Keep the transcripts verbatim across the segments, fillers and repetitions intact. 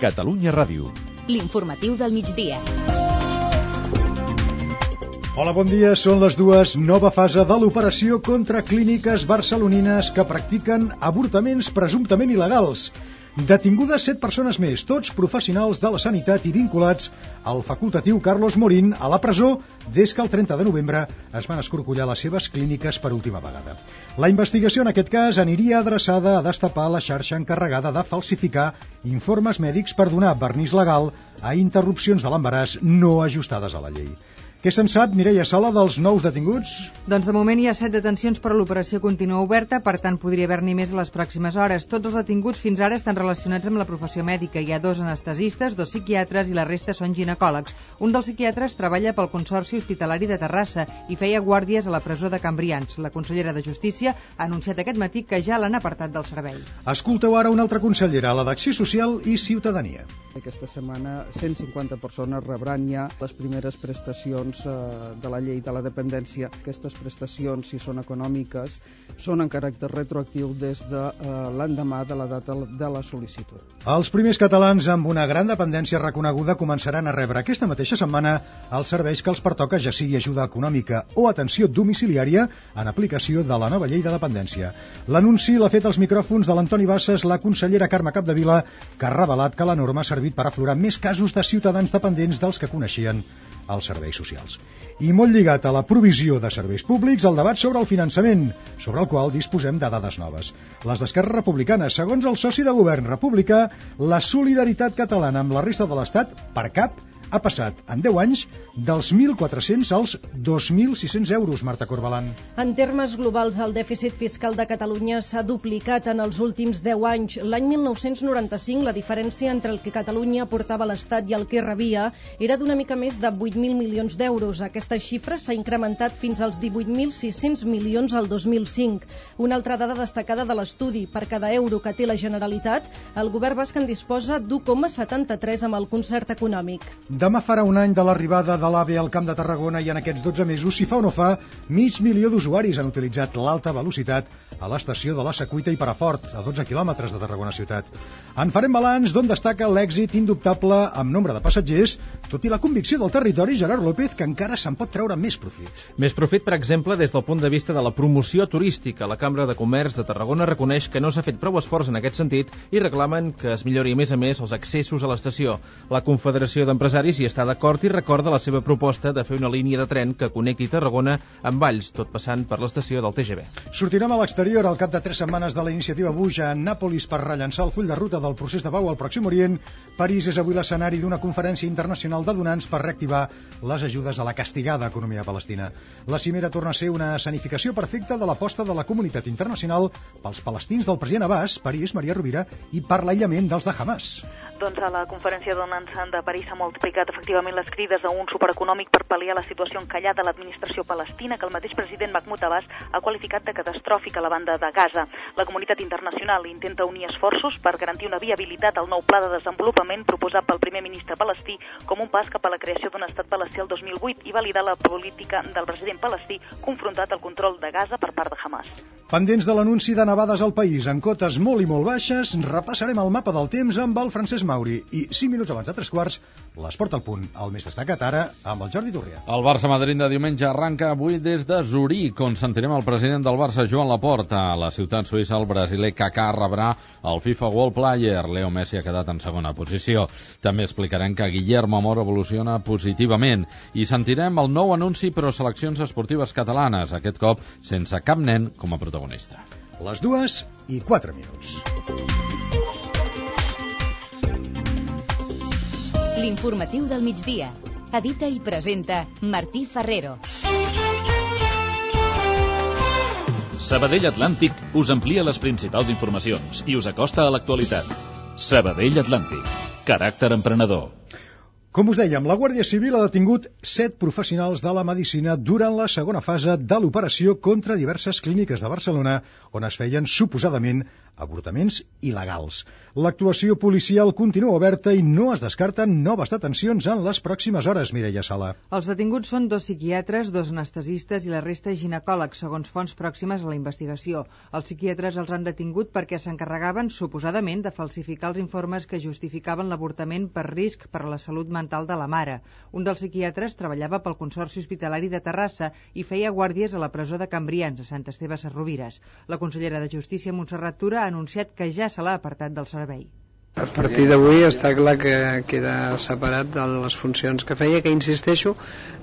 Catalunya Ràdio. L'informatiu del migdia. Hola, bon dia. Són les dues. Nova fase de l'operació contra clíniques barcelonines que practiquen avortaments presumptament il·legals. Detingudes set persones més, tots professionals de la sanitat i vinculats al facultatiu Carlos Morín a la presó des que el trenta de novembre es van escorcollar les seves clíniques per última vegada. La investigació en aquest cas aniria adreçada a destapar la xarxa encarregada de falsificar informes mèdics per donar vernís legal a interrupcions de l'embaràs no ajustades a la llei. Què se'n sap, Mireia Sala, dels nous detinguts? Doncs de moment hi ha set detencions, però l'operació continua oberta, per tant podria haver-n'hi més a les pròximes hores. Tots els detinguts fins ara estan relacionats amb la professió mèdica. Hi ha dos anestesistes, dos psiquiatres i la resta són ginecòlegs. Un dels psiquiatres treballa pel Consorci Hospitalari de Terrassa i feia guàrdies a la presó de Can Brians. La consellera de Justícia ha anunciat aquest matí que ja l'han apartat del servei. Escolteu ara una altra consellera, la d'Acció Social i Ciutadania. Aquesta setmana cent cinquanta persones rebran ja les primeres prestacions de la llei de la dependència. Aquestes prestacions, si són econòmiques, són en caràcter retroactiu des de eh, l'endemà de la data de la sol·licitud. Els primers catalans amb una gran dependència reconeguda començaran a rebre aquesta mateixa setmana els serveis que els pertoca, ja sigui ajuda econòmica o atenció domiciliària, en aplicació de la nova llei de dependència. L'anunci l'ha fet als micròfons de l'Antoni Bassas la consellera Carme Capdevila, que ha revelat que la norma ha servit per aflorar més casos de ciutadans dependents dels que coneixien els serveis socials. I molt lligat a la provisió de serveis públics, el debat sobre el finançament, sobre el qual disposem de dades noves. Les d'Esquerra Republicana, segons el soci de govern republicà, la solidaritat catalana amb la resta de l'Estat, per cap, ha passat en deu anys dels mil quatre-cents als dos mil sis-cents euros, Marta Corbalan. En termes globals, el dèficit fiscal de Catalunya s'ha duplicat en els últims deu anys. L'any mil nou-cents noranta-cinc, la diferència entre el que Catalunya aportava a l'Estat i el que rebia era d'una mica més de vuit mil milions d'euros. Aquesta xifra s'ha incrementat fins als divuit mil sis-cents milions al dos mil cinc. Una altra dada destacada de l'estudi: per cada euro que té la Generalitat, el govern basc en disposa d'u coma setanta-tres amb el concert econòmic. Demà farà un any de l'arribada de l'AVE al Camp de Tarragona i en aquests dotze mesos, si fa o no fa, mig milió d'usuaris han utilitzat l'alta velocitat a l'estació de la Secuita i Perafort, a dotze quilòmetres de Tarragona ciutat. En farem balanç d'on destaca l'èxit indubtable amb nombre de passatgers, tot i la convicció del territori, Gerard López, que encara se'n pot treure més profit. Més profit, per exemple, des del punt de vista de la promoció turística. La Cambra de Comerç de Tarragona reconeix que no s'ha fet prou esforç en aquest sentit i reclamen que es millori a més a més els accessos a l'estació. La Confederació d'Empresaris hi està d'acord i recorda la seva proposta de fer una línia de tren que connecti Tarragona amb Valls, tot passant per l'estació del T G V. Sortirem a l'exterior al cap de tres setmanes de la iniciativa Bush a Nàpolis per rellançar el full de ruta del procés de pau al Pròxim Orient. París és avui l'escenari d'una conferència internacional de donants per reactivar les ajudes a la castigada economia palestina. La cimera torna a ser una escenificació perfecta de l'aposta de la comunitat internacional pels palestins del president Abbas, París, Maria Rovira, i per l'aïllament dels de Hamas. Doncs a la conferència de donants de París s'ha multiplicat efectivament les crides a un supereconòmic per pal·liar la situació encallada de l'administració palestina, que el mateix president Mahmoud Abbas ha qualificat de catastròfica a la banda de Gaza. La comunitat internacional intenta unir esforços per garantir una viabilitat al nou pla de desenvolupament proposat pel primer ministre palestí com un pas cap a la creació d'un estat palestí el dos mil vuit i validar la política del president palestí confrontat al control de Gaza per part de Hamas. Pendents de l'anunci de nevades al país en cotes molt i molt baixes, repassarem el mapa del temps amb el Francesc Mauri i cinc minuts abans de tres quarts l'Esport al punt, el més destacat ara amb el Jordi Turrià. El Barça-Madrid de diumenge arranca avui des de Zuric, on sentirem el president del Barça, Joan Laporta. A la ciutat suïssa, el brasiler Kaká rebrà el FIFA World Player. Leo Messi ha quedat en segona posició. També explicarem que Guillermo Amor evoluciona positivament i sentirem el nou anunci per a seleccions esportives catalanes, aquest cop sense cap nen com a protagonista. Les dues i quatre minuts. L'informatiu del migdia. Edita i presenta Martí Ferrero. Sabadell Atlàntic us amplia les principals informacions i us acosta a l'actualitat. Sabadell Atlàntic. Caràcter emprenedor. Com us dèiem, la Guàrdia Civil ha detingut set professionals de la medicina durant la segona fase de l'operació contra diverses clíniques de Barcelona on es feien suposadament avortaments il·legals. L'actuació policial continua oberta i no es descarten noves detencions en les pròximes hores, Mireia Sala. Els detinguts són dos psiquiatres, dos anestesistes i la resta ginecòlegs, segons fonts pròximes a la investigació. Els psiquiatres els han detingut perquè s'encarregaven, suposadament, de falsificar els informes que justificaven l'avortament per risc per a la salut mental de la mare. Un dels psiquiatres treballava pel Consorci Hospitalari de Terrassa i feia guàrdies a la presó de Cambrians, a Sant Esteve Sesrovires. La consellera de Justícia, Montserrat Tura, ha anunciat que ja se l'ha apartat del servei. A partir d'avui està clar que queda separat de les funcions que feia, que insisteixo,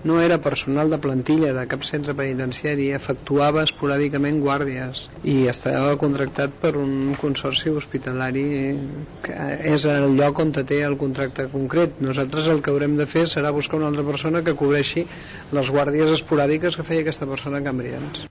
no era personal de plantilla de cap centre penitenciari, efectuava esporàdicament guàrdies i estava contractat per un consorci hospitalari que és el lloc on té el contracte concret. Nosaltres el que haurem de fer serà buscar una altra persona que cobreixi les guàrdies esporàdiques que feia aquesta persona a Cambrians.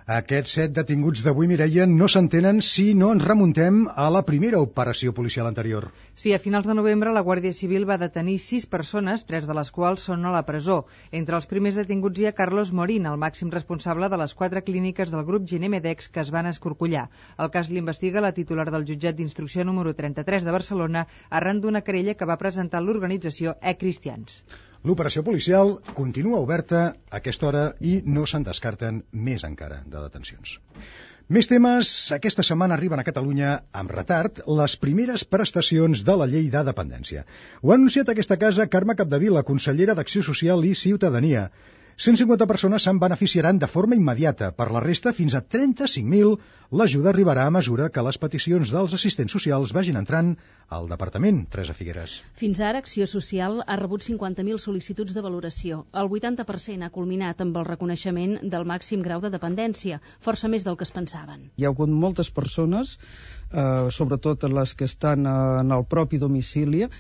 Aquests set detinguts d'avui, Mireia, no s'entenen si no ens remuntem a la primera operació policial anterior. Sí, a finals de novembre la Guàrdia Civil va detenir sis persones, tres de les quals són a la presó. Entre els primers detinguts hi ha Carlos Morín, el màxim responsable de les quatre clíniques del grup Ginemedex que es van escorcollar. El cas l'investiga la titular del jutjat d'instrucció número trenta-tres de Barcelona arran d'una querella que va presentar l'organització E-Cristians. L'operació policial continua oberta a aquesta hora i no se'n descarten més encara de detencions. Més temes. Aquesta setmana arriben a Catalunya amb retard les primeres prestacions de la llei de dependència. Ho ha anunciat aquesta casa Carme Capdevila, consellera d'Acció Social i Ciutadania. cent cinquanta persones se'n beneficiaran de forma immediata. Per la resta, fins a trenta-cinc mil, l'ajuda arribarà a mesura que les peticions dels assistents socials vagin entrant al departament. Teresa Figueres. Fins ara, Acció Social ha rebut cinquanta mil sol·licituds de valoració. El vuitanta per cent ha culminat amb el reconeixement del màxim grau de dependència, força més del que es pensaven. Hi ha hagut moltes persones, eh, sobretot les que estan en el propi domicili,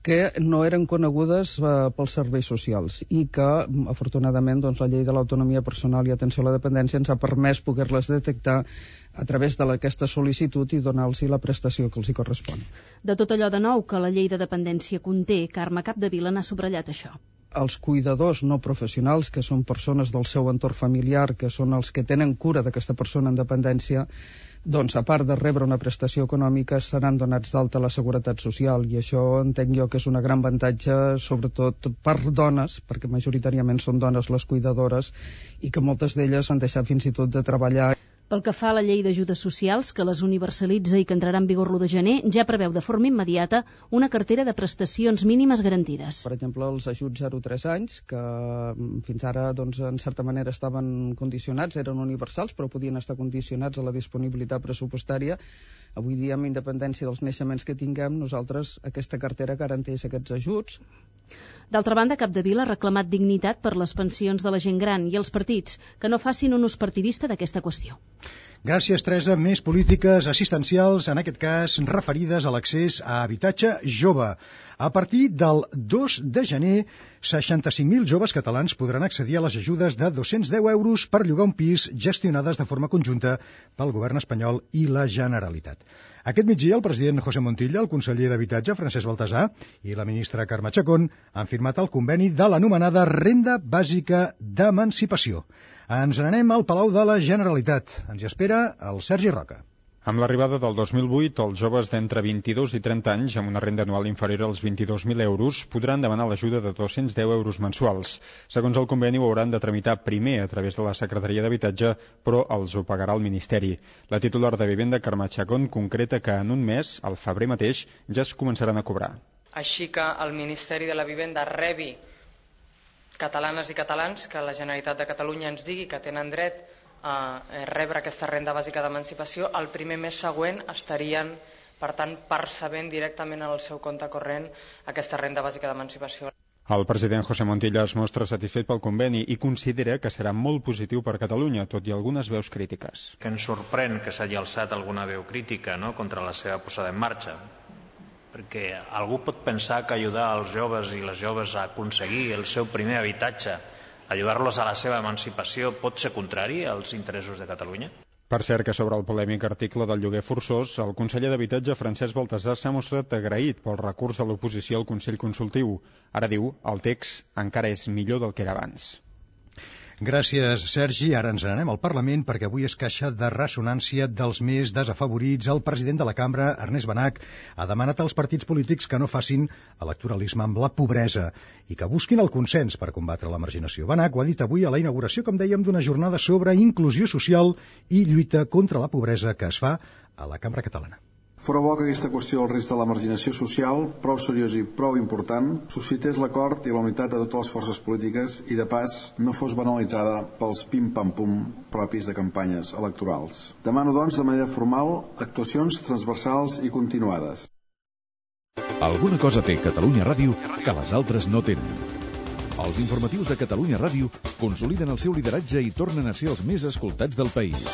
que no eren conegudes eh, pels serveis socials i que, afortunadament, doncs, la llei de l'autonomia personal i atenció a la dependència ens ha permès poder-les detectar a través d'aquesta sol·licitud i donar-los la prestació que els hi correspon. De tot allò de nou que la llei de dependència conté, Carme Capdevila n'ha subratllat això. Els cuidadors no professionals, que són persones del seu entorn familiar, que són els que tenen cura d'aquesta persona en dependència, doncs, a part de rebre una prestació econòmica, seran donats d'alta a la Seguretat Social, i això entenc jo que és un gran avantatge, sobretot per dones, perquè majoritàriament són dones les cuidadores, i que moltes d'elles han deixat fins i tot de treballar. Pel que fa a la llei d'ajudes socials, que les universalitza i que entrarà en vigor l'u de gener, ja preveu de forma immediata una cartera de prestacions mínimes garantides. Per exemple, els ajuts zero a tres anys, que fins ara, doncs, en certa manera estaven condicionats, eren universals, però podien estar condicionats a la disponibilitat pressupostària. Avui dia, amb independència dels naixements que tinguem, nosaltres aquesta cartera garanteix aquests ajuts. D'altra banda, Capdevila ha reclamat dignitat per les pensions de la gent gran i els partits, que no facin un ús partidista d'aquesta qüestió. Gràcies, Teresa. Més polítiques assistencials, en aquest cas referides a l'accés a habitatge jove. A partir del dos de gener, seixanta-cinc mil joves catalans podran accedir a les ajudes de dos-cents deu euros per llogar un pis gestionades de forma conjunta pel govern espanyol i la Generalitat. Aquest migdia, el president José Montilla, el conseller d'Habitatge, Francesc Baltasar, i la ministra Carme Chacón han firmat el conveni de l'anomenada Renda Bàsica d'Emancipació. Ens n'anem al Palau de la Generalitat. Ens hi espera el Sergi Roca. Amb l'arribada del dos mil vuit, els joves d'entre vint-i-dos i trenta anys amb una renda anual inferior als vint-i-dos mil euros podran demanar l'ajuda de dos-cents deu euros mensuals. Segons el conveni, ho hauran de tramitar primer a través de la Secretaria d'Habitatge, però els ho pagarà el Ministeri. La titular de Vivenda, Carme Chacón, concreta que en un mes, al febrer mateix, ja es començaran a cobrar. Així que el Ministeri de la Vivenda rebi catalanes i catalans que la Generalitat de Catalunya ens digui que tenen dret a rebre aquesta renda bàsica d'emancipació, el primer mes següent estarien, per tant, percebent directament en el seu compte corrent aquesta renda bàsica d'emancipació. El president José Montilla es mostra satisfet pel conveni i considera que serà molt positiu per Catalunya, tot i algunes veus crítiques. Que ens sorprèn que s'hagi alçat alguna veu crítica, no?, contra la seva posada en marxa, perquè algú pot pensar que ajudar els joves i les joves a aconseguir el seu primer habitatge, ajudar-los a la seva emancipació, pot ser contrari als interessos de Catalunya? Per cert que sobre el polèmic article del lloguer forçós, el conseller d'Habitatge, Francesc Baltasar, s'ha mostrat agraït pel recurs de l'oposició al Consell Consultiu. Ara diu, el text encara és millor del que era abans. Gràcies, Sergi. Ara ens n'anem al Parlament perquè avui és caixa de ressonància dels més desafavorits. El president de la cambra, Ernest Benach, ha demanat als partits polítics que no facin electoralisme amb la pobresa i que busquin el consens per combatre la marginació. Benach ho ha dit avui a la inauguració, com dèiem, d'una jornada sobre inclusió social i lluita contra la pobresa que es fa a la Cambra Catalana. Fora bo que aquesta qüestió del risc de la marginació social, prou seriosa i prou important, suscités l'acord i la unitat de totes les forces polítiques i, de pas, no fos banalitzada pels pim-pam-pum propis de campanyes electorals. Demano, doncs, de manera formal, actuacions transversals i continuades. Alguna cosa té Catalunya Ràdio que les altres no tenen. Els informatius de Catalunya Ràdio consoliden el seu lideratge i tornen a ser els més escoltats del país.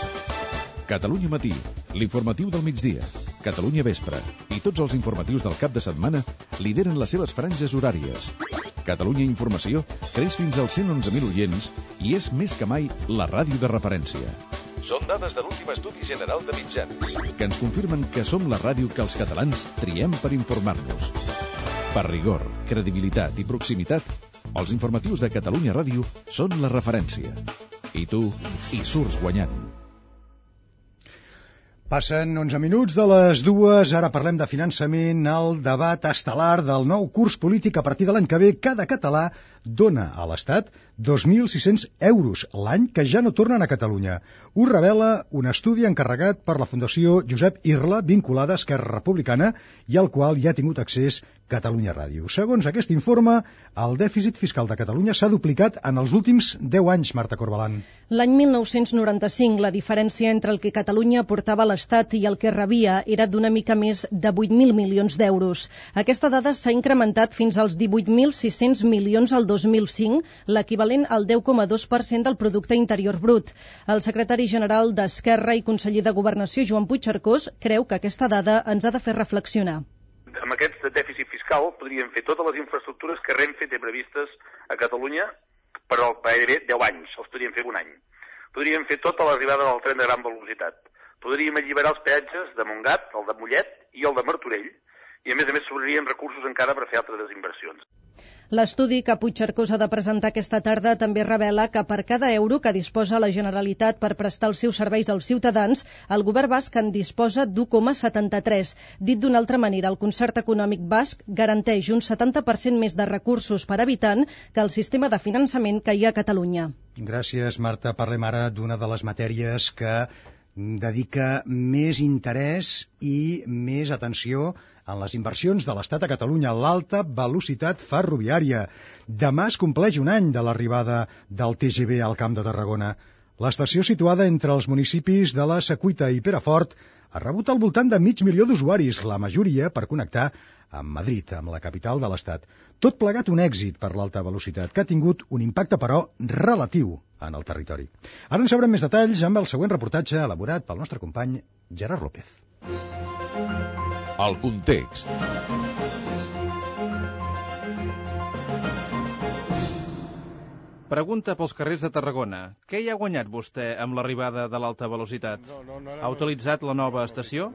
Catalunya Matí, l'informatiu del migdia, Catalunya Vespre i tots els informatius del cap de setmana lideren les seves franges horàries. Catalunya Informació creix fins als cent onze mil oients i és més que mai la ràdio de referència. Són dades de l'últim estudi general de mitjans que ens confirmen que som la ràdio que els catalans triem per informar-nos. Per rigor, credibilitat i proximitat, els informatius de Catalunya Ràdio són la referència. I tu hi surts guanyant. Passen onze minuts de les dues, ara parlem de finançament, el debat estel·lar del nou curs polític. A partir de l'any que ve, cada català dona a l'Estat dos mil sis-cents euros l'any que ja no tornen a Catalunya. Ho revela un estudi encarregat per la Fundació Josep Irla, vinculada a Esquerra Republicana, i al qual ja ha tingut accés Catalunya Ràdio. Segons aquest informe, el dèficit fiscal de Catalunya s'ha duplicat en els últims deu anys, Marta Corbalan. L'any mil nou-cents noranta-cinc, la diferència entre el que Catalunya aportava a l'Estat i el que rebia era d'una mica més de vuit mil milions d'euros. Aquesta dada s'ha incrementat fins als divuit mil sis-cents milions al dos mil cinc, l'equivalent al deu coma dos per cent del producte interior brut. El secretari general d'Esquerra i conseller de Governació, Joan Puigcercós, creu que aquesta dada ens ha de fer reflexionar. Amb aquest dèficit fiscal podríem fer totes les infraestructures que Renfe té previstes a Catalunya per al gairebé deu anys, els podríem fer un any. Podríem fer tota l'arribada del tren de gran velocitat. Podríem alliberar els peatges de Montgat, el de Mollet i el de Martorell, i a més a més sobrarien recursos encara per fer altres inversions. L'estudi que Puigcercós ha de presentar aquesta tarda també revela que per cada euro que disposa la Generalitat per prestar els seus serveis als ciutadans, el govern basc en disposa d'u coma setanta-tres. Dit d'una altra manera, el concert econòmic basc garanteix un setanta per cent més de recursos per habitant que el sistema de finançament que hi ha a Catalunya. Gràcies, Marta. Parlem ara d'una de les matèries que dedica més interès i més atenció en les inversions de l'Estat a Catalunya, l'alta velocitat ferroviària. Demà es compleix un any de l'arribada del T G V al Camp de Tarragona. L'estació, situada entre els municipis de la Secuita i Perafort, ha rebut al voltant de mig milió d'usuaris, la majoria per connectar amb Madrid, amb la capital de l'Estat. Tot plegat un èxit per l'alta velocitat, que ha tingut un impacte, però, relatiu en el territori. Ara en sabrem més detalls amb el següent reportatge elaborat pel nostre company Gerard López. El context. Pregunta pels carrers de Tarragona. Què hi ha guanyat vostè amb l'arribada de l'alta velocitat? Ha utilitzat la nova estació?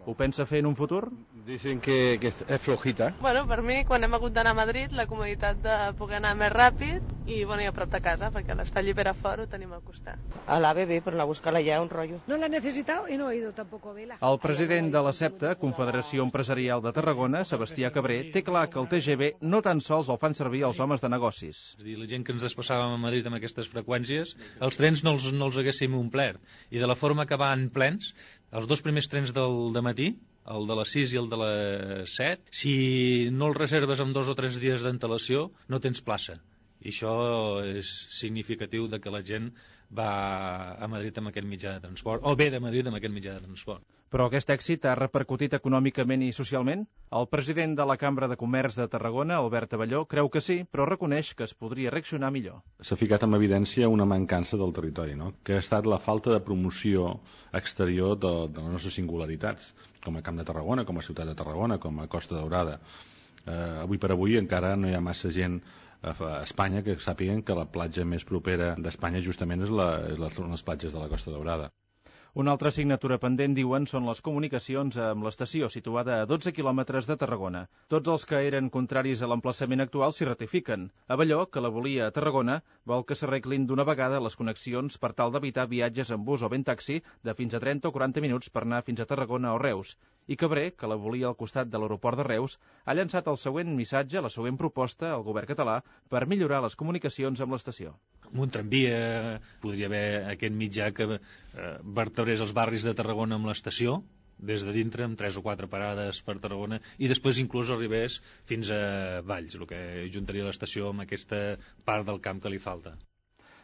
Ho pensa fer en un futur? Dicen que, que és flojita. Bueno, per mi, quan hem hagut d'anar a Madrid, la comoditat de poder anar més ràpid i, bueno, i a prop de casa, perquè l'estall i Perafort ho tenim al costat. A la B B, pero la buscar allá un rollo. No la he necesitado y no he ido tampoco a verla. El president de la SEPTA, Confederació Empresarial de Tarragona, Sebastià Cabré, té clar que el T G V no tan sols el fan servir els homes de negocis. És a dir, la gent que ens desplaçàvem a Madrid amb aquestes freqüències, els trens no els, no els haguéssim omplert. I de la forma que van plens, els dos primers trens del dematí, el de les sis i el de les set, si no els reserves amb dos o tres dies d'antelació, no tens plaça. I això és significatiu de que la gent va a Madrid amb aquest mitjà de transport, o ve de Madrid amb aquest mitjà de transport. Però aquest èxit ha repercutit econòmicament i socialment? El president de la Cambra de Comerç de Tarragona, Albert Abelló, creu que sí, però reconeix que es podria reaccionar millor. S'ha ficat en evidència una mancança del territori, no? Que ha estat la falta de promoció exterior de, de les nostres singularitats, com a Camp de Tarragona, com a Ciutat de Tarragona, com a Costa Daurada. Eh, avui per avui encara no hi ha massa gent a Espanya que sàpiguen que la platja més propera d'Espanya justament és, la, és les, les platges de la Costa Daurada. Una altra assignatura pendent, diuen, són les comunicacions amb l'estació, situada a dotze quilòmetres de Tarragona. Tots els que eren contraris a l'emplaçament actual s'hi ratifiquen. Abelló, que la volia a Tarragona, vol que s'arreglin d'una vegada les connexions per tal d'evitar viatges en bus o ben taxi de fins a trenta o quaranta minuts per anar fins a Tarragona o Reus. I Cabré, que la volia al costat de l'aeroport de Reus, ha llançat el següent missatge, la següent proposta al govern català per millorar les comunicacions amb l'estació. Amb un tramvia podria haver aquest mitjà que eh, vertebrés els barris de Tarragona amb l'estació, des de dintre, amb tres o quatre parades per Tarragona, i després inclús arribés fins a Valls, el que juntaria l'estació amb aquesta part del camp que li falta.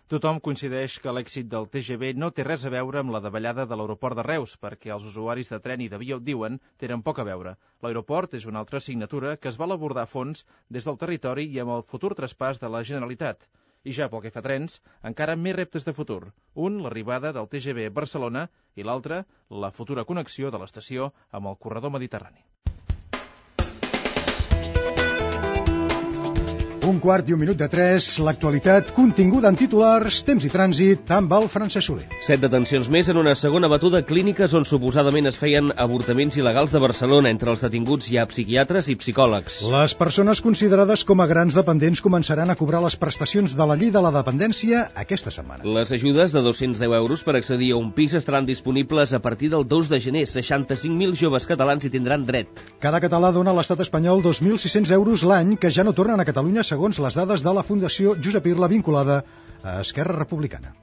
Tothom coincideix que l'èxit del T G V no té res a veure amb la davallada de l'aeroport de Reus, perquè els usuaris de tren i d'avió, diuen, tenen poc a veure. L'aeroport és una altra assignatura que es vol abordar a fons des del territori i amb el futur traspàs de la Generalitat. I ja pel que fa a trens, encara més reptes de futur. Un, l'arribada del T G V a Barcelona, i l'altre, la futura connexió de l'estació amb el corredor mediterrani. Un quart i un minut de tres, l'actualitat continguda en titulars, temps i trànsit amb el Francesc Soler. Set detencions més en una segona batuda a clíniques on suposadament es feien avortaments il·legals de Barcelona. Entre els detinguts hi ha psiquiatres i psicòlegs. Les persones considerades com a grans dependents començaran a cobrar les prestacions de la llei de la dependència aquesta setmana. Les ajudes de dos-cents deu euros per accedir a un pis estaran disponibles a partir del dos de gener. seixanta-cinc mil joves catalans hi tindran dret. Cada català dona a l'estat espanyol dos mil sis-cents euros l'any que ja no tornen a Catalunya segons les dades de la Fundació Josep Irla vinculada a Esquerra Republicana.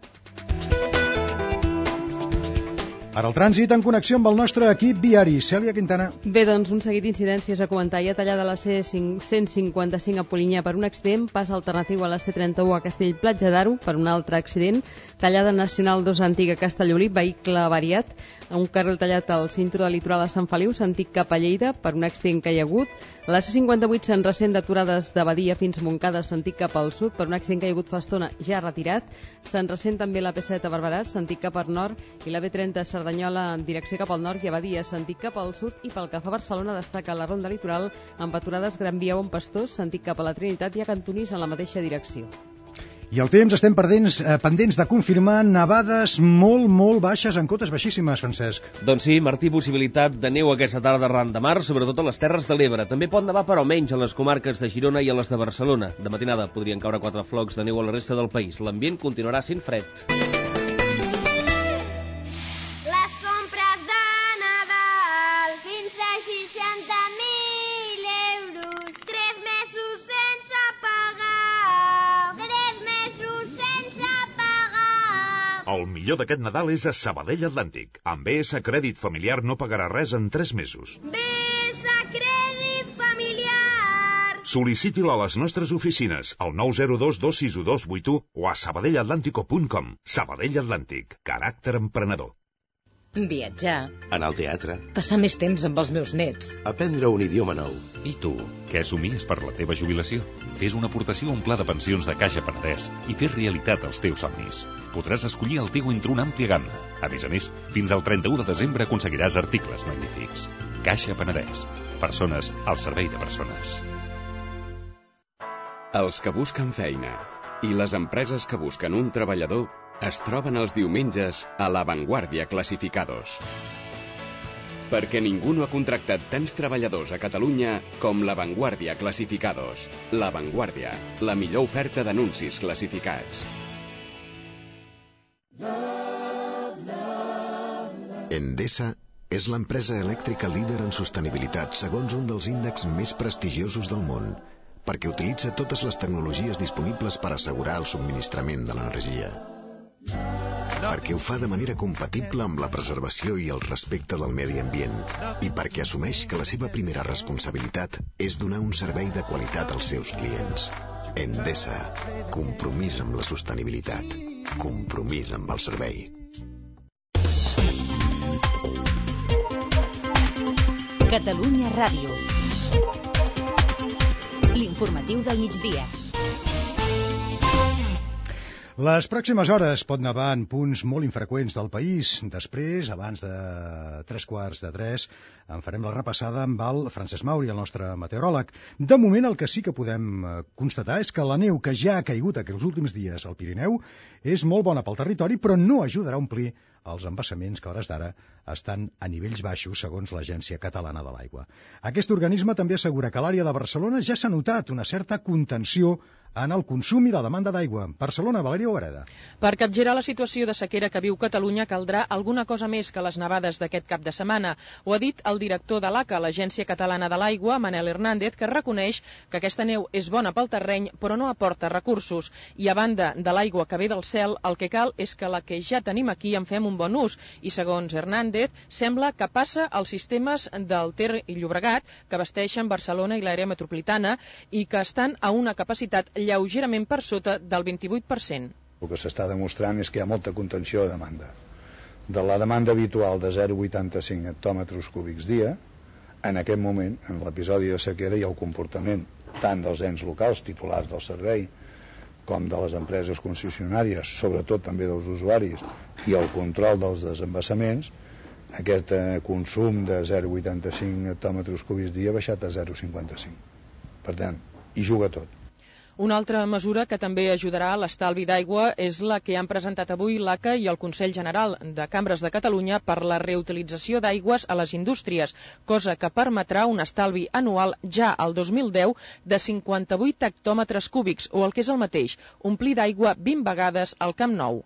Ara el trànsit en connexió amb el nostre equip viari. Cèlia Quintana. Bé, doncs un seguit d'incidències a comentar. Hi ha tallada la C cent cinquanta-cinc a Polinyà per un accident, pas alternatiu a la C trenta-u a Castellplatja d'Aro per un altre accident, tallada nacional dos antiga a Castellolí, vehicle avariat, un carril tallat al cinturó de litoral a Sant Feliu, sentit cap a Lleida per un accident que hi ha hagut, la C cinquanta-vuit se'n ressent d'aturades de Badia fins Montcada, sentit cap al sud per un accident que hi ha hagut fa estona ja retirat, se'n ressent també la P set a Barberà, sentit cap al nord, i la B trenta Cerdanyola en direcció cap al nord i a Badia, sentit cap al sud, i pel que fa a Barcelona destaca la ronda litoral amb aturades Gran Via on Pastors, sentit cap a la Trinitat i a Cantonís en la mateixa direcció. I el temps, estem pendents, eh, pendents de confirmar nevades molt, molt baixes en cotes baixíssimes, Francesc. Doncs sí, Martí, possibilitat de neu aquesta tarda arran de mar, sobretot a les Terres de l'Ebre. També pot nevar, però menys a les comarques de Girona i a les de Barcelona. De matinada podrien caure quatre flocs de neu a la resta del país. L'ambient continuarà sent fred. El millor d'aquest Nadal és a Sabadell Atlàntic. Amb B S Crèdit Familiar no pagarà res en tres mesos. B S Crèdit Familiar! Sol·liciti-la a les nostres oficines, al nou zero dos dos sis dos vuit u o a sabadellatlàntico punt com. Sabadell Atlàntic. Caràcter emprenedor. Viatjar. Anar al teatre. Passar més temps amb els meus nets. Aprendre un idioma nou. I tu, què assumies per la teva jubilació? Fes una aportació a un pla de pensions de Caixa Penedès i fes realitat els teus somnis. Podràs escollir el teu entre una àmplia gamma. A més a més, fins al trenta-u de desembre aconseguiràs articles magnífics. Caixa Penedès. Persones al servei de persones. Els que busquen feina i les empreses que busquen un treballador es troben els diumenges a La Vanguardia Clasificados. Perquè ningú no ha contractat tants treballadors a Catalunya com La Vanguardia Clasificados. La Vanguardia, la millor oferta d'anuncis classificats. Endesa és l'empresa elèctrica líder en sostenibilitat segons un dels índexs més prestigiosos del món, perquè utilitza totes les tecnologies disponibles per assegurar el subministrament de l'energia. Perquè ho fa de manera compatible amb la preservació i el respecte del medi ambient i perquè assumeix que la seva primera responsabilitat és donar un servei de qualitat als seus clients. Endesa, compromís amb la sostenibilitat, compromís amb el servei. Catalunya Ràdio. L'informatiu del migdia. Les pròximes hores pot nevar en punts molt infreqüents del país. Després, abans de tres quarts de tres, en farem la repassada amb el Francesc Mauri, el nostre meteoròleg. De moment, el que sí que podem constatar és que la neu que ja ha caigut aquests últims dies al Pirineu és molt bona pel territori, però no ajudarà a omplir els embassaments que a hores d'ara estan a nivells baixos segons l'Agència Catalana de l'Aigua. Aquest organisme també assegura que a l'àrea de Barcelona ja s'ha notat una certa contenció en el consum i la demanda d'aigua. Barcelona, Valèria Ogareda. Per capgirar la situació de sequera que viu Catalunya caldrà alguna cosa més que les nevades d'aquest cap de setmana. Ho ha dit el director de l'A C A, l'Agència Catalana de l'Aigua, Manel Hernández, que reconeix que aquesta neu és bona pel terreny però no aporta recursos. I a banda de l'aigua que ve del cel, el que cal és que la que ja tenim aquí en fem un bon ús. I segons Hernández, sembla que passa als sistemes del Ter i Llobregat, que abasteixen Barcelona i l'àrea metropolitana i que estan a una capacitat lleugerament per sota del vint-i-vuit per cent. El que s'està demostrant és que hi ha molta contenció de demanda. De la demanda habitual de zero coma vuitanta-cinc hectòmetres cúbics dia, en aquest moment, en l'episodi de sequera, hi ha el comportament tant dels ens locals, titulars del servei, com de les empreses concessionàries, sobretot també dels usuaris, i el control dels desembassaments. Aquest eh, consum de zero coma vuitanta-cinc hectòmetres cúbics dia ha baixat a zero coma cinquanta-cinc. Per tant, hi juga tot. Una altra mesura que també ajudarà a l'estalvi d'aigua és la que han presentat avui l'A C A i el Consell General de Cambres de Catalunya per la reutilització d'aigües a les indústries, cosa que permetrà un estalvi anual ja al dos mil deu de cinquanta-vuit hectòmetres cúbics, o el que és el mateix, omplir d'aigua vint vegades al Camp Nou.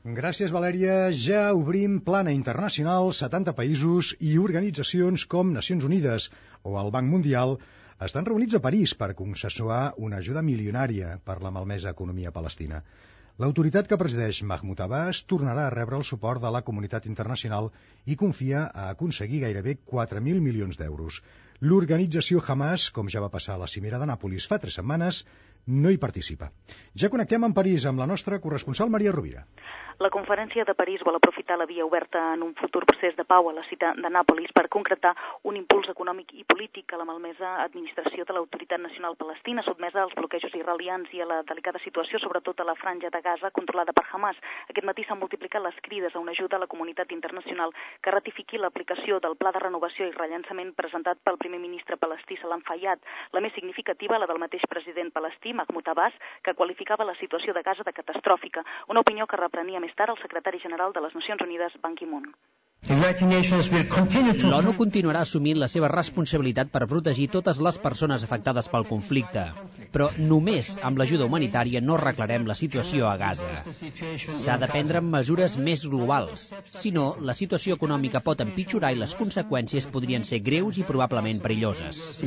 Gràcies, Valèria. Ja obrim plana internacional. setanta països i organitzacions com Nacions Unides o el Banc Mundial estan reunits a París per consensuar una ajuda milionària per la malmesa economia palestina. L'autoritat que presideix Mahmoud Abbas tornarà a rebre el suport de la comunitat internacional i confia a aconseguir gairebé quatre mil milions d'euros. L'organització Hamas, com ja va passar a la cimera de Nàpolis fa tres setmanes, no hi participa. Ja connectem amb París amb la nostra corresponsal Maria Rovira. La conferència de París vol aprofitar la via oberta en un futur procés de pau a la ciutat de Nàpolis per concretar un impuls econòmic i polític a la malmesa administració de l'Autoritat Nacional Palestina, sotmesa als bloquejos israelians i a la delicada situació, sobretot a la franja de Gaza, controlada per Hamas. Aquest matí s'han multiplicat les crides a una ajuda a la comunitat internacional que ratifiqui l'aplicació del pla de renovació i rellançament presentat pel primer ministre palestí Salam Fayyad. La més significativa, la del mateix president palestí, Mahmoud Abbas, que qualificava la situació de Gaza de catastròfica, una opinió que reprenia més tard el secretari general de les Nacions Unides, Ban Ki-moon. L'ONU continuarà assumint la seva responsabilitat per protegir totes les persones afectades pel conflicte, però només amb l'ajuda humanitària no arreglarem la situació a Gaza. S'ha de prendre mesures més globals, si no, la situació econòmica pot empitjorar i les conseqüències podrien ser greus i probablement perilloses.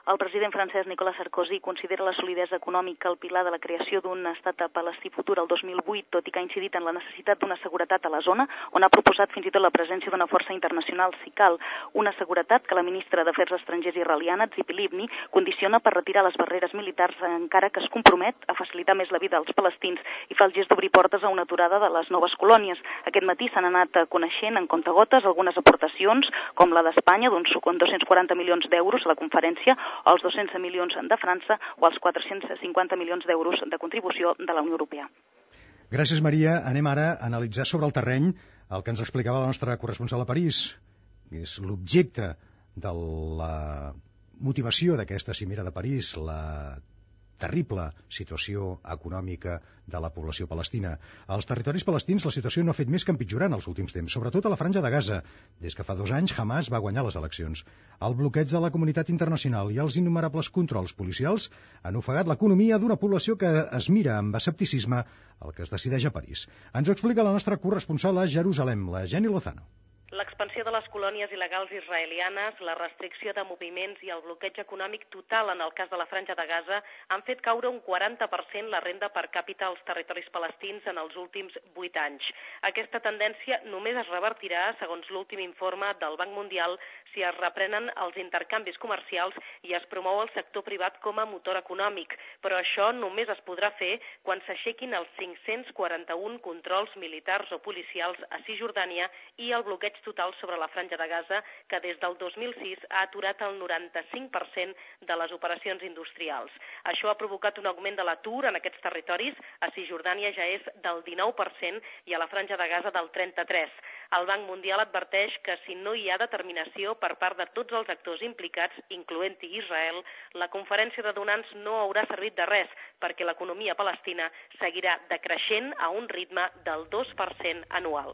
El president francès Nicolas Sarkozy considera la solidesa econòmica el pilar de la creació d'un estat palestí futur el dos mil vuit, tot i que ha incidit en la necessitat d'una seguretat a la zona, on ha proposat fins i tot la presència d'una força internacional si cal. Una seguretat que la ministra d'Afers Estrangers israeliana, Tzipi Livni, condiciona per retirar les barreres militars, encara que es compromet a facilitar més la vida als palestins i fa el gest d'obrir portes a una aturada de les noves colònies. Aquest matí s'han anat coneixent en comptagotes algunes aportacions, com la d'Espanya, d'uns dos-cents quaranta milions d'euros a la conferència, els dos-cents milions de França o els quatre-cents cinquanta milions d'euros de contribució de la Unió Europea. Gràcies, Maria. Anem ara a analitzar sobre el terreny el que ens explicava la nostra corresponsal a París. És l'objecte de la motivació d'aquesta cimera de París, la terrible situació econòmica de la població palestina. Als territoris palestins la situació no ha fet més que empitjorar en els últims temps, sobretot a la franja de Gaza. Des que fa dos anys Hamas va guanyar les eleccions. El bloqueig de la comunitat internacional i els innumerables controls policials han ofegat l'economia d'una població que es mira amb escepticisme el que es decideix a París. Ens ho explica la nostra corresponsal a Jerusalem, la Jenny Lozano. L'expansió de les colònies il·legals israelianes, la restricció de moviments i el bloqueig econòmic total en el cas de la franja de Gaza han fet caure un quaranta per cent la renda per càpita als territoris palestins en els últims vuit anys. Aquesta tendència només es revertirà, segons l'últim informe del Banc Mundial, si es reprenen els intercanvis comercials i es promou el sector privat com a motor econòmic. Però això només es podrà fer quan s'aixequin els cinc-cents quaranta-un controls militars o policials a Cisjordània i el bloqueig total sobre la franja de Gaza, que des del dos mil sis ha aturat el noranta-cinc per cent de les operacions industrials. Això ha provocat un augment de l'atur en aquests territoris. A Cisjordània ja és del dinou per cent i a la franja de Gaza del trenta-tres per cent. El Banc Mundial adverteix que si no hi ha determinació per part de tots els actors implicats, incloent-hi Israel, la conferència de donants no haurà servit de res, perquè l'economia palestina seguirà decreixent a un ritme del dos per cent anual.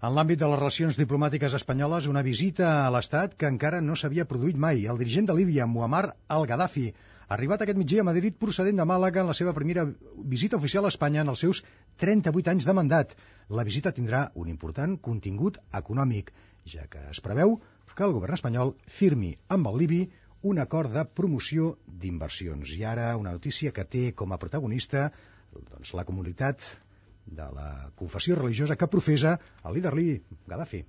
En l'àmbit de les relacions diplomàtiques espanyoles, una visita a l'Estat que encara no s'havia produït mai. El dirigent de Líbia, Muammar al-Gaddafi, ha arribat aquest migdia a Madrid procedent de Màlaga en la seva primera visita oficial a Espanya en els seus trenta-vuit anys de mandat. La visita tindrà un important contingut econòmic, ja que es preveu que el govern espanyol firmi amb el libi un acord de promoció d'inversions. I ara una notícia que té com a protagonista doncs, la comunitat de la confessió religiosa que professa el líder libi, Gaddafi.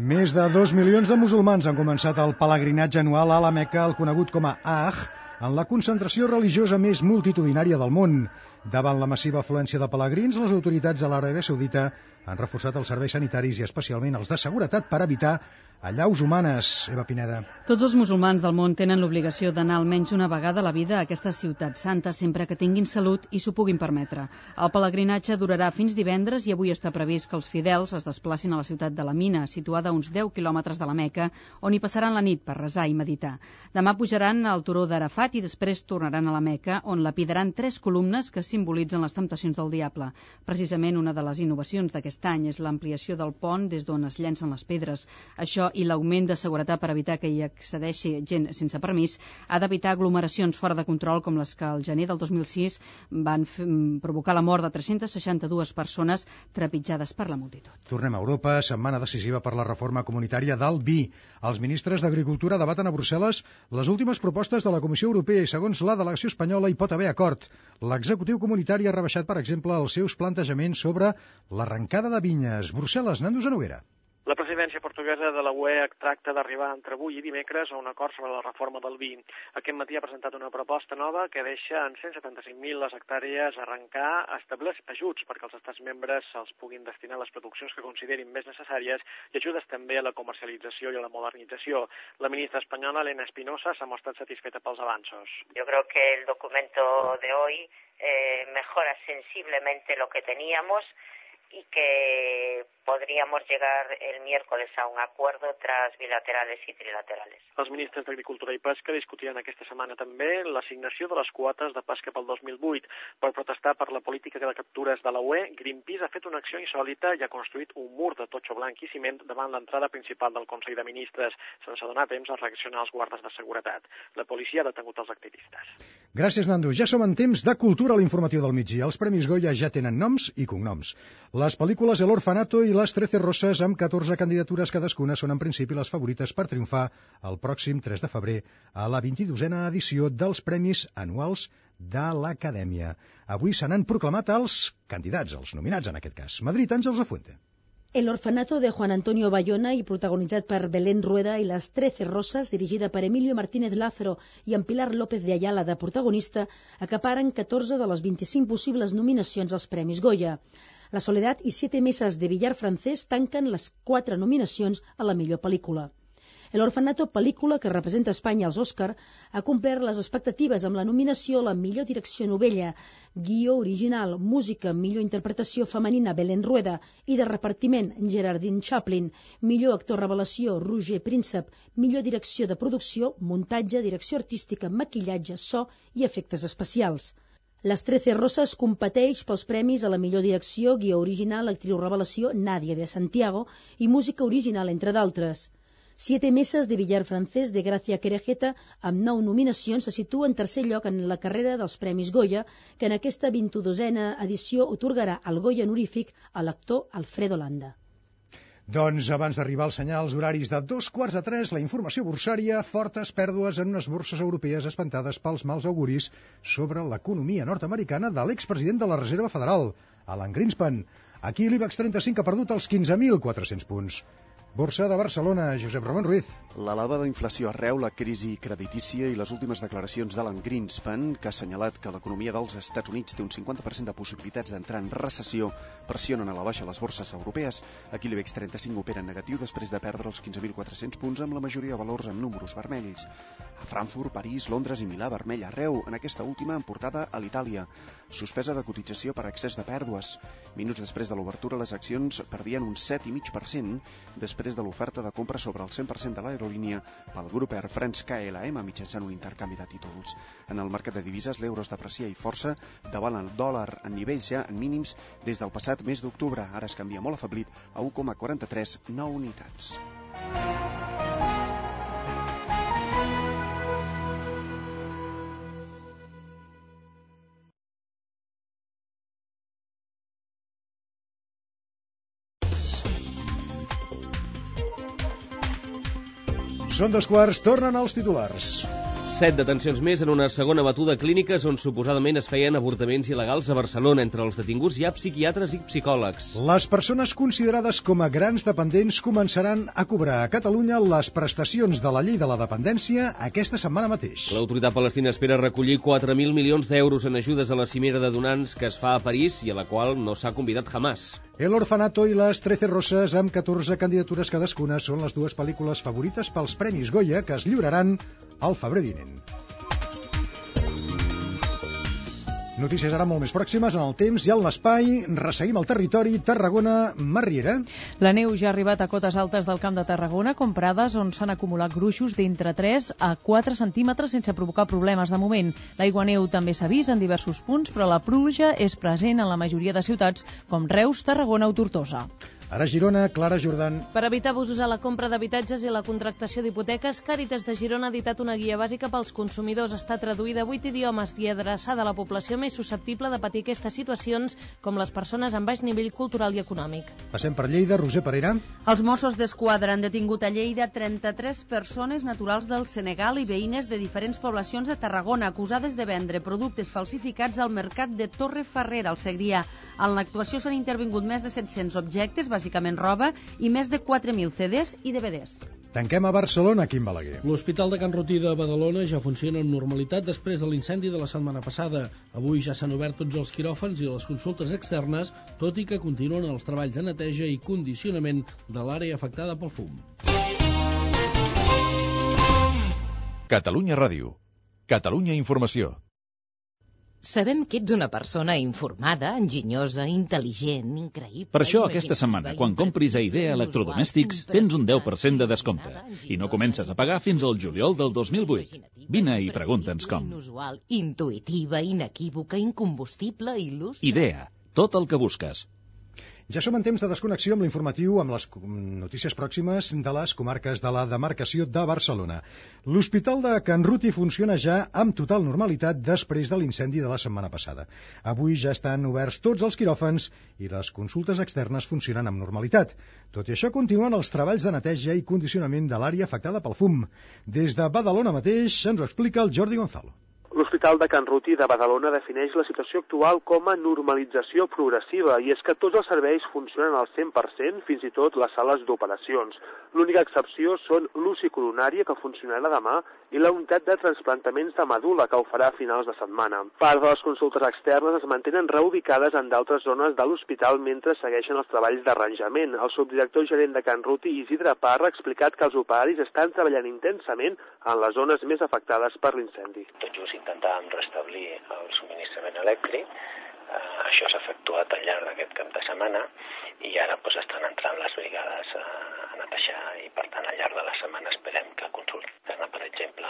Més de dos milions de musulmans han començat el pelegrinatge anual a la Meca, el conegut com a Hajj, en la concentració religiosa més multitudinària del món. Davant la massiva afluència de pelegrins, les autoritats de l'Aràbia Saudita han reforçat els serveis sanitaris i especialment els de seguretat per evitar allaus humanes. Eva Pineda. Tots els musulmans del món tenen l'obligació d'anar almenys una vegada a la vida a aquesta ciutat santa sempre que tinguin salut i s'ho puguin permetre. El pelegrinatge durarà fins divendres i avui està previst que els fidels es desplacin a la ciutat de la Mina, situada a uns deu quilòmetres de la Meca, on hi passaran la nit per resar i meditar. Demà pujaran al turó d'Arafat i després tornaran a la Meca, on lapidaran tres columnes que simbolitzen les temptacions del diable. Precisament una de les innovacions d'aquest any és l'ampliació del pont des d'on es llencen les pedres. Això i l'augment de seguretat per evitar que hi accedeixi gent sense permís ha d'evitar aglomeracions fora de control com les que al gener del dos mil sis van provocar la mort de tres-centes seixanta-dues persones trepitjades per la multitud. Tornem a Europa, setmana decisiva per la reforma comunitària del vi. Els ministres d'Agricultura debaten a Brussel·les les últimes propostes de la Comissió Europea i, segons la delegació espanyola, hi pot haver acord. L'executiu comunitari ha rebaixat, per exemple, els seus plantejaments sobre l'arrencada de vinyes. Brussel·les, Nando Genoguera. La presidència portuguesa de la U E tracta d'arribar entre avui i dimecres a un acord sobre la reforma del vi. Aquest matí ha presentat una proposta nova que deixa en cent setanta-cinc mil les hectàrees arrencar, estableix ajuts perquè els estats membres se'ls puguin destinar a les produccions que considerin més necessàries i ajudes també a la comercialització i a la modernització. La ministra espanyola, Elena Espinosa, s'ha mostrat satisfeta pels avanços. Yo creo que el documento de hoy eh, mejora sensiblemente lo que teníamos y que podríamos llegar el miércoles a un acuerdo tras bilaterales y trilaterales. Els ministres d'Agricultura i Pesca discutiran aquesta setmana també l'assignació de les quotes de pesca pel dos mil vuit. Per protestar per la política de captures de la U E, Greenpeace ha fet una acció insòlita i ha construït un mur de totxo blanc i ciment davant l'entrada principal del Consell de Ministres, sense donar temps a reaccionar als guardes de seguretat. La policia ha detengut els activistes. Gràcies, Nando. Ja som en temps de cultura a l'informatiu del migdia. Els Premis Goya ja tenen noms i cognoms. Les pel·lícules El Orfanato i Les Trece Roses, amb catorze candidatures cadascuna, són en principi les favorites per triomfar el pròxim tres de febrer a la vint-i-dosena edició dels Premis Anuals de l'Acadèmia. Avui se n'han proclamat els candidats, els nominats en aquest cas. Madrid, Àngels Afuente. El Orfanato de Juan Antonio Bayona i protagonitzat per Belén Rueda i Les Trece Roses, dirigida per Emilio Martínez Lázaro i amb Pilar López de Ayala de protagonista, acaparen catorze de les vint-i-cinc possibles nominacions als Premis Goya. La Soledad i Siete Mesas de Billar francès tanquen les quatre nominacions a la millor pel·lícula. El Orfanato, pel·lícula que representa Espanya als Òscar, ha complert les expectatives amb la nominació a la millor direcció novella, guió original, música, millor interpretació femenina Belén Rueda i de repartiment Gerardine Chaplin, millor actor revelació Roger Príncep, millor direcció de producció, muntatge, direcció artística, maquillatge, so i efectes especials. Les Trece Roses competeix pels premis a la millor direcció, guió original, actriu revelació Nadia de Santiago i música original, entre d'altres. Siete Mesas de Billar francès de Gracia Querejeta, amb nou nominacions, se situa en tercer lloc en la carrera dels Premis Goya, que en aquesta vint-i-dosena edició otorgarà el Goya honorífic a l'actor Alfredo Landa. Doncs abans d'arribar als senyals horaris de dos quarts de tres, la informació borsària, fortes pèrdues en unes borses europees espantades pels mals auguris sobre l'economia nord-americana de l'expresident de la Reserva Federal, Alan Greenspan. Aquí l'IBEX trenta-cinc ha perdut els quinze mil quatre-cents punts. Borsa de Barcelona, Josep Ramon Ruiz. L'elevada inflació arreu, la crisi creditícia i les últimes declaracions d'Alan Greenspan, que ha assenyalat que l'economia dels Estats Units té un cinquanta per cent de possibilitats d'entrar en recessió, pressionen a la baixa les borses europees. Aquí l'IBEX trenta-cinc opera en negatiu després de perdre els quinze mil quatre-cents punts, amb la majoria de valors amb números vermells. A Frankfurt, París, Londres i Milà, vermell arreu, en aquesta última en portada a l'Itàlia. Suspesa de cotització per excés de pèrdues. Minuts després de l'obertura, les accions perdien un set coma cinc per cent després de l'oferta de compra sobre el cent per cent de l'aerolínia pel grup Air France K L M mitjançant un intercanvi de títols. En el mercat de divises, l'euro es deprecia i força davant el dòlar en nivells ja en mínims des del passat mes d'octubre. Ara es canvia molt afeblit a u coma quaranta-tres nou unitats. Són dos quarts, tornen els titulars. Set detencions més en una segona batuda a clíniques on suposadament es feien avortaments il·legals a Barcelona. Entre els detinguts hi ha psiquiatres i psicòlegs. Les persones considerades com a grans dependents començaran a cobrar a Catalunya les prestacions de la llei de la dependència aquesta setmana mateix. L'autoritat palestina espera recollir quatre mil milions d'euros en ajudes a la cimera de donants que es fa a París i a la qual no s'ha convidat Hamas. El Orfanato i les Trece Roses, amb catorze candidatures cadascuna, són les dues pel·lícules favorites pels Premis Goya que es lliuraran al febrer vinent. Notícies ara molt més pròximes en el temps i en l'espai. Resseguim el territori. Tarragona, Marriera. La neu ja ha arribat a cotes altes del Camp de Tarragona, com Prades, on s'han acumulat gruixos d'entre tres a quatre centímetres sense provocar problemes de moment. L'aigua neu també s'ha vist en diversos punts, però la pluja és present en la majoria de ciutats, com Reus, Tarragona o Tortosa. Ara Girona, Clara Jordan. Per evitar abusos a la compra d'habitatges i la contractació d'hipoteques, Càritas de Girona ha editat una guia bàsica pels consumidors. Està traduïda a vuit idiomes i adreçada a la població més susceptible de patir aquestes situacions, com les persones amb baix nivell cultural i econòmic. Passem per Lleida, Roser Parera. Els Mossos d'Esquadra han detingut a Lleida trenta-tres persones naturals del Senegal i veïnes de diferents poblacions de Tarragona, acusades de vendre productes falsificats al mercat de Torre Ferrera, al Segrià. En l'actuació s'han intervingut més de set-cents objectes, bàsicament roba, i més de quatre mil C Ds i D V Ds. Tanquem a Barcelona, Quim Balaguer. L'Hospital de Can Rotí de Badalona ja funciona amb normalitat després de l'incendi de la setmana passada. Avui ja s'han obert tots els quiròfans i les consultes externes, tot i que continuen els treballs de neteja i condicionament de l'àrea afectada pel fum. Catalunya Ràdio. Catalunya Informació. Sabem que ets una persona informada, enginyosa, intel·ligent, increïble... Per això, aquesta setmana, quan compris a Idea Electrodomèstics, tens un deu per cent de descompte. I no comences a pagar fins al juliol del dos mil vuit. Vine i pregunta'ns com. Inusual, intuïtiva, inequívoca, incombustible, il·lus... Idea, tot el que busques. Ja som en temps de desconnexió amb l'informatiu amb les notícies pròximes de les comarques de la demarcació de Barcelona. L'Hospital de Can Ruti funciona ja amb total normalitat després de l'incendi de la setmana passada. Avui ja estan oberts tots els quiròfans i les consultes externes funcionen amb normalitat. Tot i això, continuen els treballs de neteja i condicionament de l'àrea afectada pel fum. Des de Badalona mateix ens ho explica el Jordi Gonzalo. L'Hospital de Can Ruti de Badalona defineix la situació actual com a normalització progressiva i és que tots els serveis funcionen al cent per cent, fins i tot les sales d'operacions. L'única excepció són l'U C I coronària, que funcionarà demà, i la unitat de trasplantaments de medul·la, que ho farà a finals de setmana. Part de les consultes externes es mantenen reubicades en d'altres zones de l'hospital mentre segueixen els treballs d'arranjament. El subdirector gerent de Can Ruti, Isidre Parra, ha explicat que els operaris estan treballant intensament en les zones més afectades per l'incendi. Tot just intentàvem restablir el subministrament elèctric. Uh, això s'ha efectuat al llarg d'aquest cap de setmana i ara pues, estan entrant les brigades a, a netejar i per tant al llarg de la setmana esperem que la consulta externa, per exemple,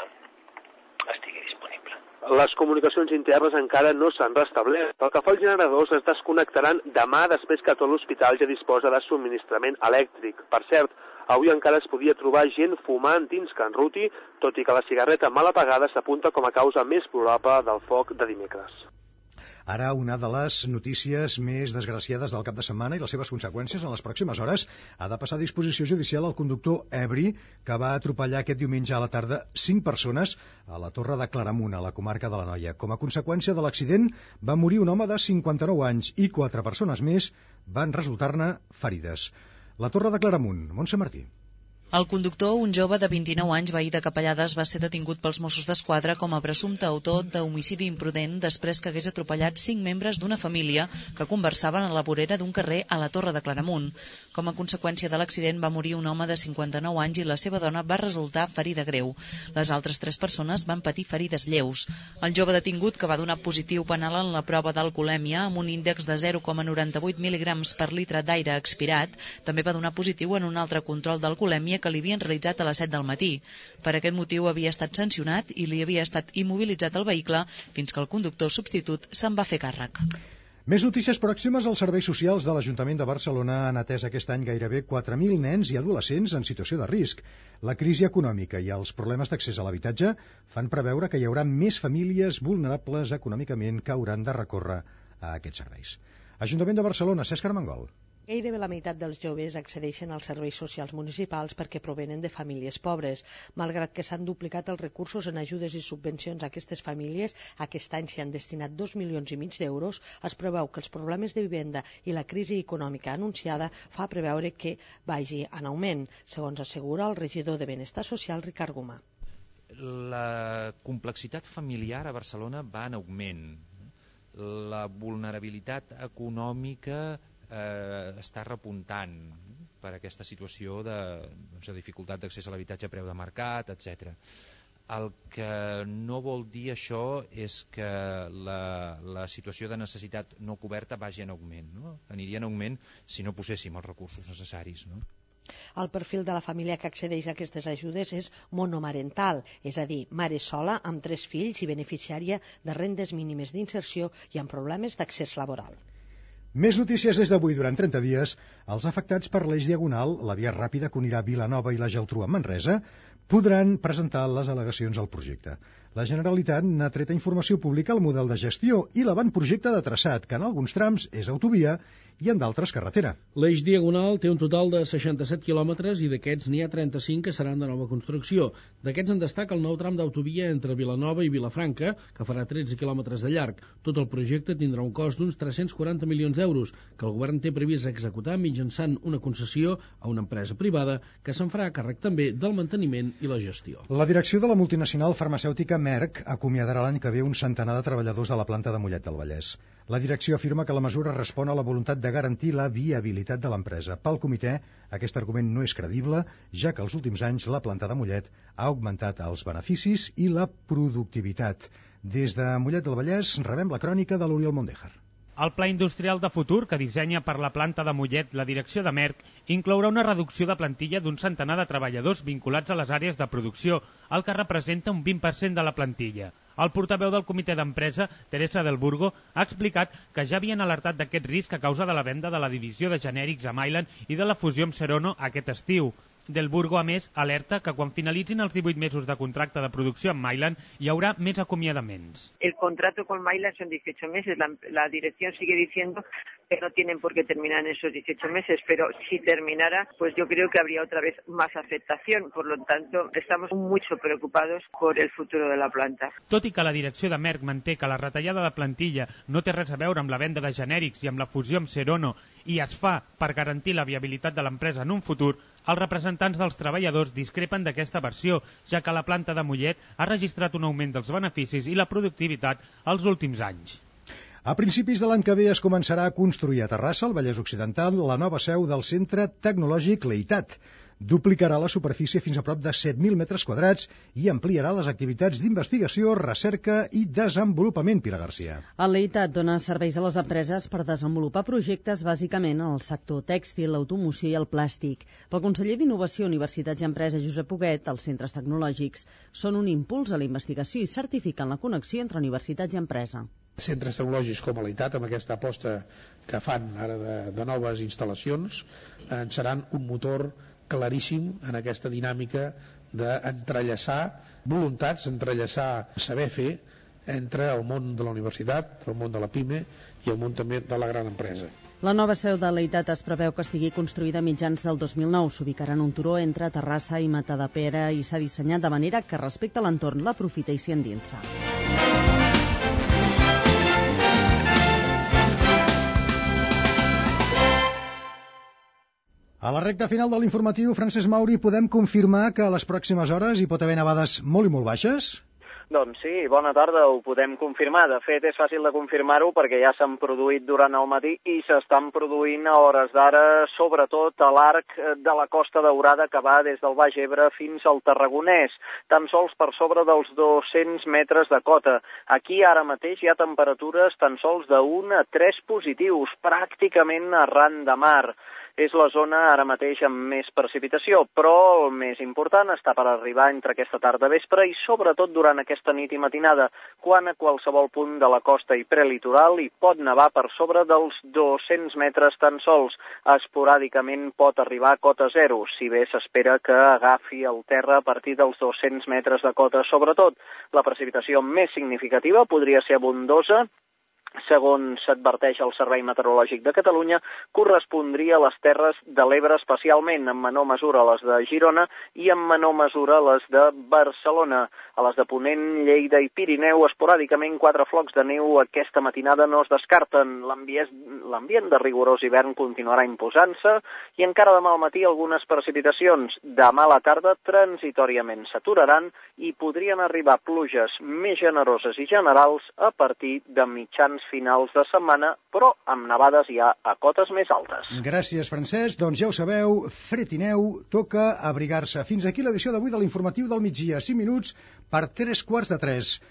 estigui disponible. Les comunicacions internes encara no s'han restablert. Pel que fa als generadors, es desconnectaran demà després que tot l'hospital ja disposa de subministrament elèctric. Per cert, avui encara es podia trobar gent fumant dins Can Ruti, tot i que la cigarreta mal apagada s'apunta com a causa més probable del foc de dimecres. Ara, una de les notícies més desgraciades del cap de setmana i les seves conseqüències en les pròximes hores ha de passar a disposició judicial el conductor ebri que va atropellar aquest diumenge a la tarda cinc persones a la Torre de Claramunt, a la comarca de l'Anoia. Com a conseqüència de l'accident va morir un home de cinquanta-nou anys i quatre persones més van resultar-ne ferides. La Torre de Claramunt, Montse Martí. El conductor, un jove de vint-i-nou anys, veí de Capellades, va ser detingut pels Mossos d'Esquadra com a presumpte autor d'homicidi imprudent després que hagués atropellat cinc membres d'una família que conversaven a la vorera d'un carrer a la Torre de Claramunt. Com a conseqüència de l'accident va morir un home de cinquanta-nou anys i la seva dona va resultar ferida greu. Les altres tres persones van patir ferides lleus. El jove detingut, que va donar positiu penal en la prova d'alcoholèmia amb un índex de zero coma noranta-vuit mil·ligrams per litre d'aire expirat, també va donar positiu en un altre control d'alcoholèmia que li havien realitzat a les set del matí. Per aquest motiu havia estat sancionat i li havia estat immobilitzat el vehicle fins que el conductor substitut se'n va fer càrrec. Més notícies pròximes. Els serveis socials de l'Ajuntament de Barcelona han atès aquest any gairebé quatre mil nens i adolescents en situació de risc. La crisi econòmica i els problemes d'accés a l'habitatge fan preveure que hi haurà més famílies vulnerables econòmicament que hauran de recórrer a aquests serveis. Ajuntament de Barcelona, Cesc Armengol. Gairebé la meitat dels joves accedeixen als serveis socials municipals perquè provenen de famílies pobres. Malgrat que s'han duplicat els recursos en ajudes i subvencions a aquestes famílies, aquest any s'hi han destinat dos milions i mig d'euros, es preveu que els problemes de vivenda i la crisi econòmica anunciada fa preveure que vagi en augment, segons assegura el regidor de Benestar Social, Ricard Gomà. La complexitat familiar a Barcelona va en augment. La vulnerabilitat econòmica Eh, està repuntant per aquesta situació de, doncs, de dificultat d'accés a l'habitatge a preu de mercat, etcètera. El que no vol dir això és que la, la situació de necessitat no coberta vagi en augment, no? Aniria en augment si no poséssim els recursos necessaris, no? El perfil de la família que accedeix a aquestes ajudes és monomarental, és a dir, mare sola amb tres fills i beneficiària de rendes mínimes d'inserció i amb problemes d'accés laboral. Més notícies des d'avui. Durant trenta dies, els afectats per l'eix diagonal, la via ràpida que unirà Vilanova i la Geltrú amb Manresa, podran presentar les al·legacions al projecte. La Generalitat n'ha tret informació pública al model de gestió i l'avantprojecte de traçat, que en alguns trams és autovia i en d'altres carretera. L'eix diagonal té un total de seixanta-set quilòmetres i d'aquests n'hi ha trenta-cinc que seran de nova construcció. D'aquests en destaca el nou tram d'autovia entre Vilanova i Vilafranca, que farà tretze quilòmetres de llarg. Tot el projecte tindrà un cost d'uns tres-cents quaranta milions d'euros, que el govern té previst executar mitjançant una concessió a una empresa privada que se'n farà càrrec també del manteniment i la gestió. La direcció de la multinacional farmacèutica Merck acomiadarà l'any que ve un centenar de treballadors de la planta de Mollet del Vallès. La direcció afirma que la mesura respon a la voluntat de garantir la viabilitat de l'empresa. Pel comitè, aquest argument no és credible, ja que els últims anys la planta de Mollet ha augmentat els beneficis i la productivitat. Des de Mollet del Vallès rebem la crònica de l'Oriol Mondéjar. El pla industrial de futur que dissenya per la planta de Mollet la direcció de Merck inclourà una reducció de plantilla d'un centenar de treballadors vinculats a les àrees de producció, el que representa un vint per cent de la plantilla. El portaveu del comitè d'empresa, Teresa del Burgo, ha explicat que ja havien alertat d'aquest risc a causa de la venda de la divisió de genèrics a Mylan i de la fusió amb Serono aquest estiu. Del Burgo, a més, alerta que quan finalitzin els divuit mesos de contracte de producció amb Mylan hi haurà més acomiadaments. El contrato con Mylan son dieciocho meses. La, la dirección sigue diciendo que no tienen por qué terminar en esos dieciocho meses, pero si terminara, pues yo creo que habría otra vez más afectación. Por lo tanto, estamos mucho preocupados por el futuro de la planta. Tot i que la direcció de Merck manté que la retallada de plantilla no té res a veure amb la venda de genèrics i amb la fusió amb Serono i es fa per garantir la viabilitat de l'empresa en un futur, els representants dels treballadors discrepen d'aquesta versió, ja que la planta de Mollet ha registrat un augment dels beneficis i la productivitat els últims anys. A principis de l'any que ve es començarà a construir a Terrassa, al Vallès Occidental, la nova seu del Centre Tecnològic Leitat. Duplicarà la superfície fins a prop de set mil metres quadrats i ampliarà les activitats d'investigació, recerca i desenvolupament. Pilar Garcia. El Leitat dona serveis a les empreses per desenvolupar projectes bàsicament en el sector tèxtil, l'automoció i el plàstic. Pel conseller d'Innovació, Universitats i Empresa, Josep Huguet, els centres tecnològics són un impuls a la investigació i certifiquen la connexió entre universitats i empresa. Centres tecnològics com a Leitat, amb aquesta aposta que fan ara de, de noves instal·lacions, en seran un motor claríssim en aquesta dinàmica d'entrellaçar voluntats, entrellaçar saber fer entre el món de la universitat, el món de la PIME i el món també de la gran empresa. La nova seu de Leitat es preveu que estigui construïda a mitjans del dos mil nou. S'ubicarà en un turó entre Terrassa i Matadepera i s'ha dissenyat de manera que respecta l'entorn, l'aprofita i s'hi endinsa. A la recta final de l'informatiu, Francesc Mauri, podem confirmar que a les pròximes hores hi pot haver nevades molt i molt baixes? Doncs sí, bona tarda, ho podem confirmar. De fet, és fàcil de confirmar-ho perquè ja s'han produït durant el matí i s'estan produint a hores d'ara, sobretot a l'arc de la Costa Daurada que va des del Baix Ebre fins al Tarragonès, tan sols per sobre dels dos-cents metres de cota. Aquí ara mateix hi ha temperatures tan sols d'un a tres positius, pràcticament arran de mar. És la zona ara mateix amb més precipitació, però el més important està per arribar entre aquesta tarda vespre i sobretot durant aquesta nit i matinada, quan a qualsevol punt de la costa i prelitoral hi pot nevar per sobre dels dos-cents metres tan sols. Esporàdicament pot arribar a cota zero, si bé s'espera que agafi el terra a partir dels dos-cents metres de cota. Sobretot, la precipitació més significativa podria ser abundosa, segons s'adverteix el Servei Meteorològic de Catalunya, correspondria a les Terres de l'Ebre especialment, en menor mesura a les de Girona i en menor mesura a les de Barcelona. A les de Ponent, Lleida i Pirineu, esporàdicament quatre flocs de neu aquesta matinada no es descarten. L'ambient de rigorós hivern continuarà imposant-se i encara demà al matí algunes precipitacions. Demà a la tarda transitòriament s'aturaran i podrien arribar pluges més generoses i generals a partir de mitjans finals de setmana, però amb nevades ja a cotes més altes. Gràcies, Francesc. Doncs ja ho sabeu, fred i neu, toca abrigar-se. Fins aquí l'edició d'avui de l'informatiu del migdia. cinc minuts per tres quarts de tres.